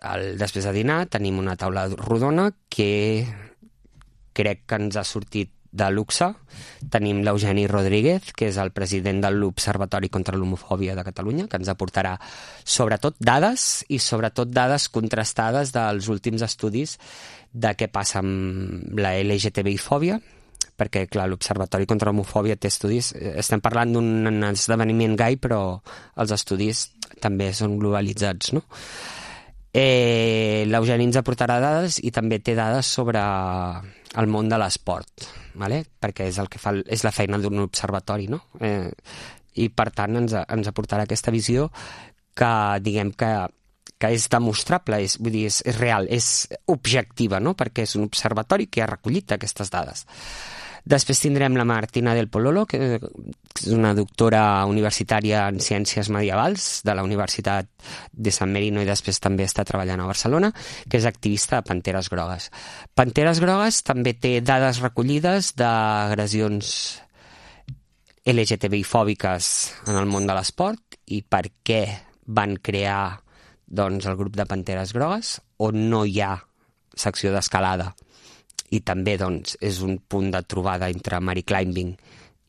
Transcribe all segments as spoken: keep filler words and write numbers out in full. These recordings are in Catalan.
el, després de dinar tenim una taula rodona que crec que ens ha sortit de luxe. Tenim l'Eugeni Rodríguez, que és el president de l'Observatori contra l'Homofòbia de Catalunya, que ens aportarà sobretot dades i sobretot dades contrastades dels últims estudis de què passa amb la L G T B I-fòbia, perquè, clar, l'Observatori contra l'Homofòbia té estudis. Estem parlant d'un esdeveniment gai, però els estudis també són globalitzats, no? Eh, L'Eugeni ens aportarà dades i també té dades sobre el món de l'esport, vale? Perquè és el que fa, és la feina d'un observatori, no? Eh, I per tant ens, ens aportarà aquesta visió que diguem que, que és demostrable, és, vull dir, és, és real, és objectiva, no? Perquè és un observatori que ha recollit aquestes dades. Després tindrem la Martina del Pololo, que és una doctora universitària en ciències medievals de la Universitat de San Marino i després també està treballant a Barcelona, que és activista de Panteres Grogues. Panteres Grogues també té dades recollides d'agressions L G T B I-fòbiques en el món de l'esport i per què van crear doncs, el grup de Panteres Grogues, on no hi ha secció d'escalada. I també doncs, és un punt de trobada entre Mary Climbing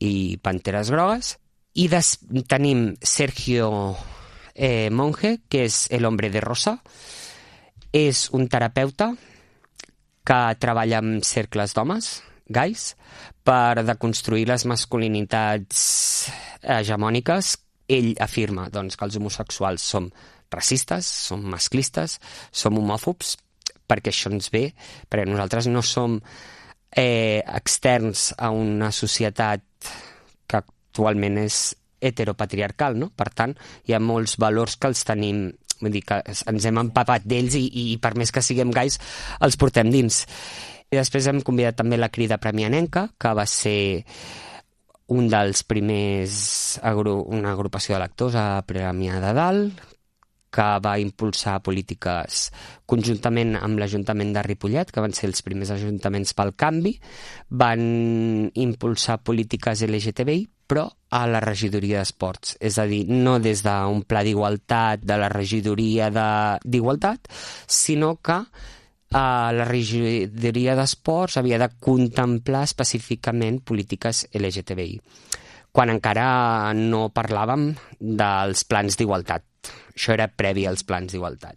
i Panteres Grogues. I des... tenim Sergio eh, Monge, que és el hombre de rosa. És un terapeuta que treballa amb cercles d'homes, gais, per deconstruir les masculinitats hegemòniques. Ell afirma doncs, que els homosexuals som racistes, som masclistes, som homòfobs, perquè això ens ve, perquè nosaltres no som eh, externs a una societat que actualment és heteropatriarcal, no? Per tant, hi ha molts valors que els tenim, vull dir que ens hem empapat d'ells i, i per més que siguem gais els portem dins. I després hem convidat també la Crida Premianenca, que va ser un dels primers, agru una agrupació de lectors a Premià de Dalt, que va impulsar polítiques conjuntament amb l'Ajuntament de Ripollet, que van ser els primers ajuntaments pel canvi, van impulsar polítiques L G T B I, però a la regidoria d'esports. És a dir, no des d'un pla d'igualtat de la regidoria d'igualtat, sinó que eh, la regidoria d'esports havia de contemplar específicament polítiques L G T B I, quan encara no parlàvem dels plans d'igualtat. Això era previ als plans d'igualtat.